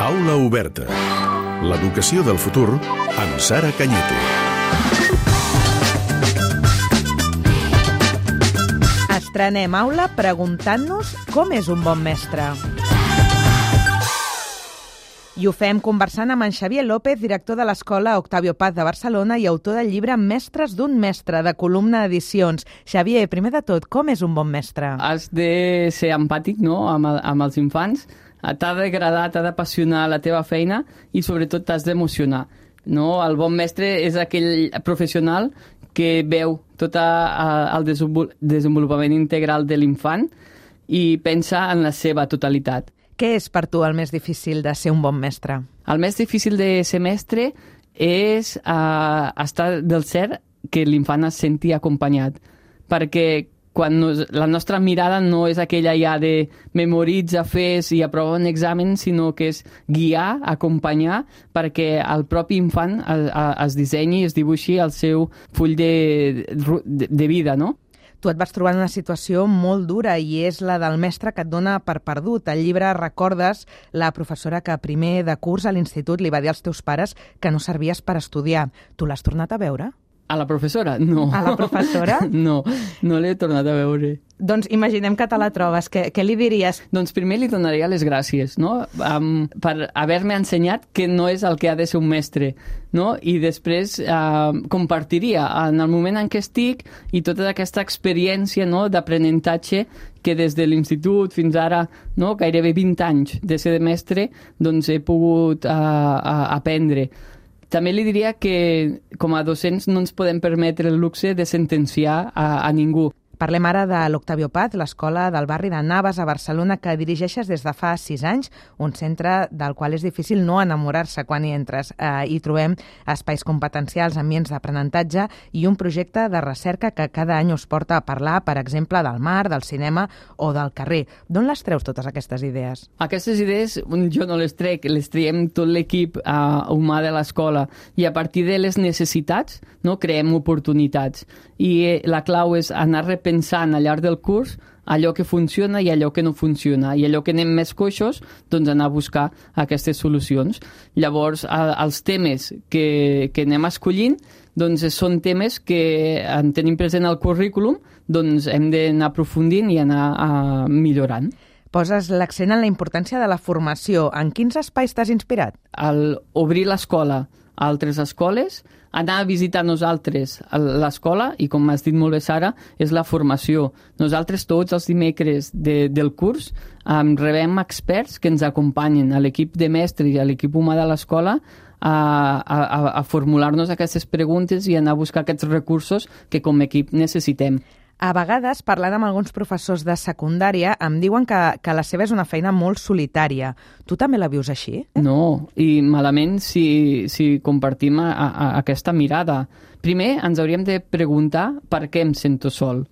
Aula oberta. L'educació del futur amb Sara Cañete. Estrenem aula preguntant-nos com és un bon mestre. I ho fem conversant amb en Xavier López, director de l'Escola Octavio Paz de Barcelona i autor del llibre Mestres d'un mestre, de Columna Edicions. Xavier, primer de tot, com és un bon mestre? Has de ser empàtic, no?, amb els infants. T'ha d'agradar, t'ha d'apassionar la teva feina i sobretot t'has d'emocionar. No? El bon mestre és aquell professional que veu tot el desenvolupament integral de l'infant i pensa en la seva totalitat. Què és per tu el més difícil de ser un bon mestre? El més difícil de ser mestre és estar del cert que l'infant es senti acompanyat, perquè quan la nostra mirada no és aquella ja de memoritza, fes i aprova un examen, sinó que és guiar, acompanyar, perquè el propi infant es dissenyi, es dibuixi el seu full de vida, no? Tu et vas trobar en una situació molt dura i és la del mestre que et dona per perdut. Al llibre recordes la professora que a primer de curs a l'institut li va dir als teus pares que no servies per estudiar. Tu l'has tornat a veure? A la professora? No. A la professora? No l'he tornat a veure. Doncs imaginem que te la trobes. Què li diries? Doncs primer li donaria les gràcies, no?, per haver-me ensenyat que no és el que ha de ser un mestre, no? I després compartiria en el moment en què estic i tota aquesta experiència, no?, d'aprenentatge que des de l'institut fins ara, no?, gairebé 20 anys de ser de mestre, doncs he pogut aprendre. També li diria que com a docents no ens podem permetre el luxe de sentenciar a ningú. Parlem ara de l'Octavio Paz, l'escola del barri de Navas a Barcelona, que dirigeixes des de fa 6 anys, un centre del qual és difícil no enamorar-se quan hi entres. Hi trobem espais competencials, ambients d'aprenentatge i un projecte de recerca que cada any us porta a parlar, per exemple, del mar, del cinema o del carrer. D'on les treus totes aquestes idees? Aquestes idees jo no les trec, les triem tot l'equip humà de l'escola i a partir de les necessitats, no, creem oportunitats. I la clau és anar repensant al llarg del curs allò que funciona i allò que no funciona. I allò que anem més coixos, doncs anar a buscar aquestes solucions. Llavors, els temes que anem escollint doncs són temes que en tenim present al currículum, doncs hem d'anar aprofundint i anar millorant. Poses l'accent en la importància de la formació. En quins espais t'has inspirat? Obrir l'escola a altres escoles, anar a visitar nosaltres l'escola i, com m'has dit molt bé, Sara, és la formació. Nosaltres tots els dimecres del curs rebem experts que ens acompanyen a l'equip de mestres i a l'equip humà de l'escola a formular-nos aquestes preguntes i anar a buscar aquests recursos que com a equip necessitem. A vegades, parlant amb alguns professors de secundària, em diuen que la seva és una feina molt solitària. Tu també la vius així? No, i malament si compartim aquesta mirada. Primer, ens hauríem de preguntar per què em sento sol.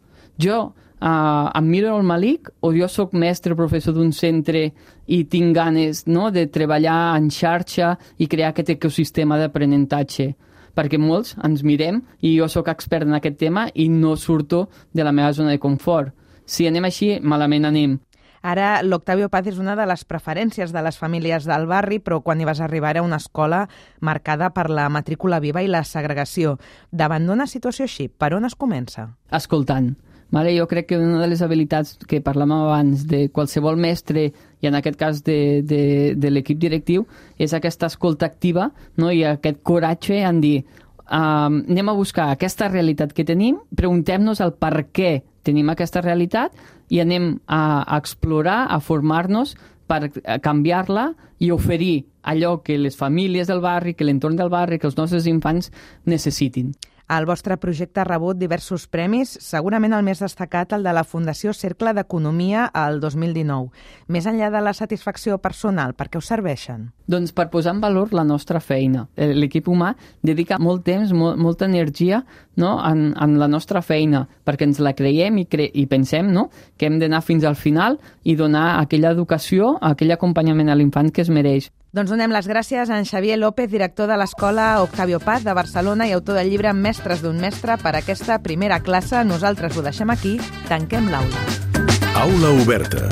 Jo em miro al Malik o jo sóc mestre, professor d'un centre i tinc ganes, no, de treballar en xarxa i crear aquest ecosistema d'aprenentatge? Perquè molts ens mirem i jo sóc expert en aquest tema i no surto de la meva zona de confort. Si anem així, malament anem. Ara, l'Octavio Paz és una de les preferències de les famílies del barri, però quan hi vas arribar era una escola marcada per la matrícula viva i la segregació. Davant d'una situació així, per on es comença? Escoltant. Jo crec que una de les habilitats que parlàvem abans de qualsevol mestre i en aquest cas de l'equip directiu és aquesta escolta activa, no? I aquest coratge en dir anem a buscar aquesta realitat que tenim, preguntem-nos el per què tenim aquesta realitat i anem a explorar, a formar-nos per canviar-la i oferir allò que les famílies del barri, que l'entorn del barri, que els nostres infants necessitin. El vostre projecte ha rebut diversos premis, segurament el més destacat el de la Fundació Cercle d'Economia al 2019. Més enllà de la satisfacció personal, per què us serveixen? Doncs per posar en valor la nostra feina. L'equip humà dedica molt temps, molta energia, no, en la nostra feina, perquè ens la creiem i pensem, no, que hem d'anar fins al final i donar aquella educació, aquell acompanyament a l'infant que es mereix. Doncs donem les gràcies a en Xavier López, director de l'Escola Octavio Paz de Barcelona i autor del llibre Mestres d'un mestre, per aquesta primera classe. Nosaltres ho deixem aquí, tanquem l'aula. Aula oberta.